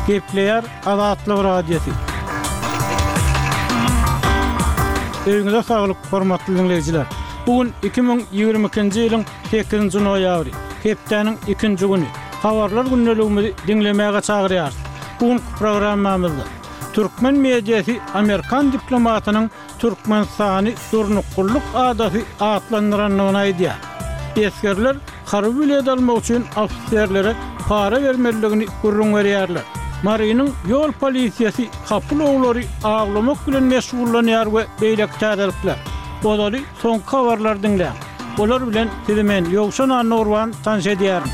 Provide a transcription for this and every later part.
Gepleýär Azatlyk Radiosy. Öýüňize saglyk, hormatly diňleýjiler! Bu gün 2022-nji ýylyň sekizinji noýabry, hepdäniň ikinji güni. Habarlar gündeligimizi diňlemäge çagyrýarys. Bu günki programmamyzda türkmen mediasy amerikan diplomatynyň Türkmenistany durnuklylyk adasy atlandyrandygyny aýdýar. Esgerler harby bilet almak üçin ofiserlere para bermelidigini gürrüň berýärler. Marynyň ýol polisiýasy hapa ulaglary awlamak bilen meşgullanýar we beýleki täzelikler. Ozaly soňky habarlary diňläň. Olar bilen sizi men, Ýowşan Annagurban tanyş edýärin.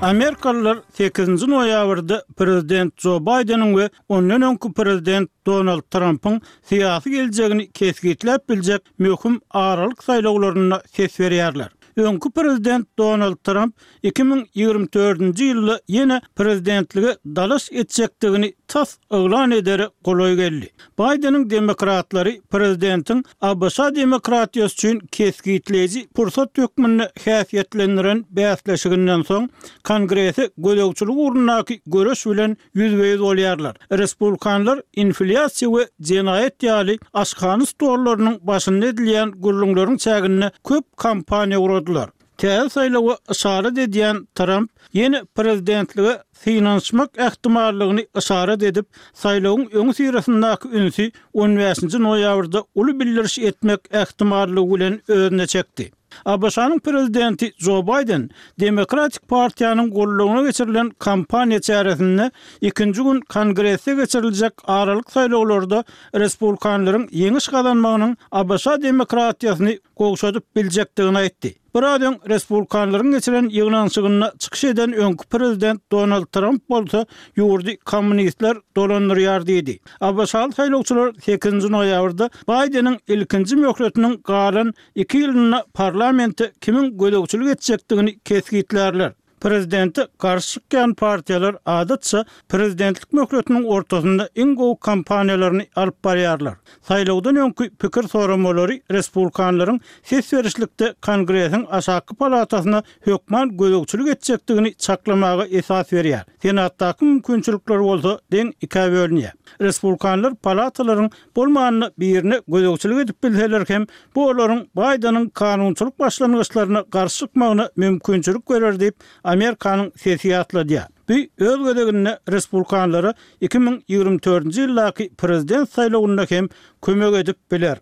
Amerikalylar sekizinji noýabrda prezident Jo Baýdeniň we ondan öňki prezident Donald Trampyň syýasy geljegini kesgitläp biljek möhüm aralyk saýlawlarynda ses berýärler. Öňki prezident Donald Tramp 2024-nji ýylda ýene prezidentlige dalaş etjekdigini tas yglan edere golaý geldi. Baýdeniň demokratlary prezidentiň ABŞ demokratiýasy üçin kesgitleýji pursat hökmünde häsiýetlendiren bäsleşiginden soň, Kongrese gözegçilik ugrundaky göreş bilen ýüzbe-ýüz bolýarlar. Respublikanlar inflýasiýa we jenaýat ýaly aşhana stollarynyň başynda edilýän gürrüňleriň çäginde köp kampaniýa guradylar. Täze saýlawa yşarat edýän Tramp ýene prezidentlige synanyşmak ähtimallygyny yşarat edip, saýlawyň öňüsyrasyndaky ünsi on bäşinji noýabrda uly bildiriş etmek ähtimallygy bilen özüne çekdi. ABŞ-nyň prezidenti Jo Baýden Demokratik partiýanyň goldawyna geçirilen kampaniýa çäresinde ikinji gün Kongresde geçiriljek aralyk saýlawlarda respublikanlaryň ýeňiş gazanmagynyň ABŞ demokratiýasyny gowşadyp biljekdigini aýtdy. Biraz öň respublikanlaryň geçiren ýygnanyşygynda çykyş eden öňki prezident Donald Tramp bolsa ýurdy kommunistler dolandyrýar diýdi. ABŞ-ly saýlawçylar sekizinji noýabrda Baýdeniň ilkinji möhletiniň galan Iki ýylynda parlamente kimiň gözegçilik etjekdigini kesgitlärler. Prezidente garşy çykýan partiýalar adatça prezidentlik möhletiniň ortasynda iň gowy kampaniýalaryny alyp barýarlar. Saýlawdan öňki pikir soramalary respublikanlaryň ses berişlikde Kongresiň aşakky palatasyna hökman gözegçilik etjekdigini çaklamaga esas berýär. Senatdaky mümkinçilikler bolsa deň ikä bölünýär. Respublikanlar palatalaryň Bolmanda birine gözegçilik edip bilseler hem, bu olaryň Baýdeniň kanunçylyk başlangyçlaryna garşy çykmagyna mümkinçilik berer diýip, Amerikanyň sesi ýatladýar. Bu, öz gezeginde, respublikanlara 2024-nji ýyldaky prezident saýlawynda hem kömek edip biler.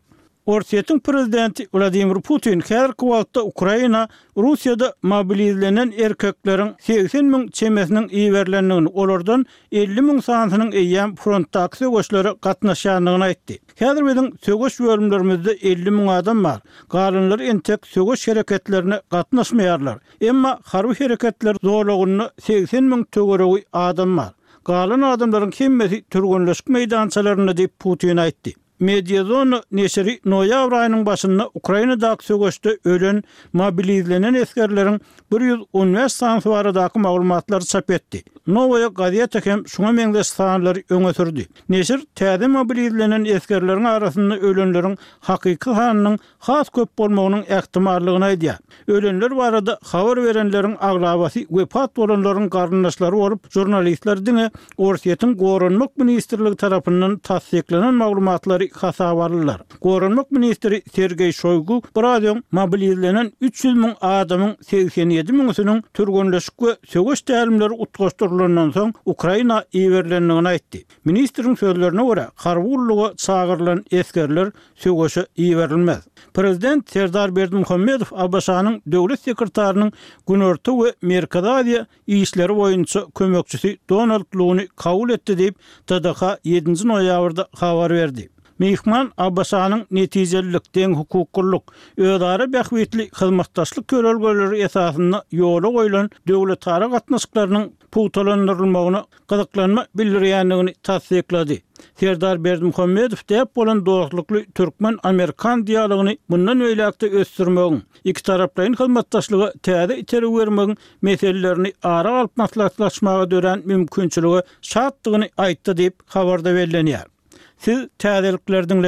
Orsýetiň prezidenti Wladimir Putin häzirki wagtda Ukraina Russiýada mobilizlenen erkekleriň 80 müň çemesiniň iberilendigini, olardan 50 müň sanysynyň eýýäm frontdaky söweşlere gatnaşýandygyny aýtdy. Häzir biziň söweş bölümlerimizde 50 müň adam bar. Galanlary entek söweş hereketlerine gatnaşmaýarlar. Emma harby hereketler zolagynda 80 müň töweregi adam bar. Galan adamlaryň hemmesi türgenleşik meýdançalarynda diýip, Putin aýtdy. Mediazona neşiri noýabr aýynyň başynda Ukrainadaky söweşde ölen mobilizlenen esgerleriň 115 sanysy baradaky maglumatlary çap etdi. Nowaýa gazeta hem şuňa meňzeş sanlary öňe sürdi. Neşir täze mobilizlenen esgerleriň arasynda ölenleriň hakyky sanynyň has köp bolmagynyň ähtimallygyny aýdýar. Ölenler barada habar berenleriň aglabasy wepat bolanlaryň garyndaşlary bolup, žurnalistler diňe Orsýetiň Goranmak ministrligi tarapyndan tassyklanan maglumatlary hasaba aldylar. Goranmak ministri Sergeý Şoýgu biraz öň mobilizlenen 300 müň adamyň 87 müňüsiniň türgenleşik we söweş tälimleri utgaşdyrylandan soň Ukraina iberilendigini aýtdy. Ministriň sözlerine görä, harby gulluga çagyrylan esgerler söweşe iberilmez. Prezident Serdar Berdimuhamedow ABŞ-nyň Döwlet sekretarynyň Günorta we Merkezi Aziýa işleri boýunça kömekçisi Donald Luny kabul etdi diýip, TDH ýedinji noýabrda habar berdi. Myhman ABŞ-nyň netijelilik, deňhukuklylyk, özara bähbitli hyzmatdaşlyk ýörelgeleri esasynda ýola goýlan döwletara gatnaşyklarynyň pugtalandyrylmagyna gyzyklanma bildirýändigini tassyklady. Serdar Berdimuhamedow däp bolan dostlukly türkmen-amerikan dialogyny mundan beýläk-de ösdürmegiň, ikitaraplaýyn hyzmatdaşlyga täze itergi bermegiň meselelerini ara alyp maslahatlaşmaga dörän mümkinçilige şatdygyny aýtdy diýip, habarda bellenýär. Siz täzelikleri diňlediňiz.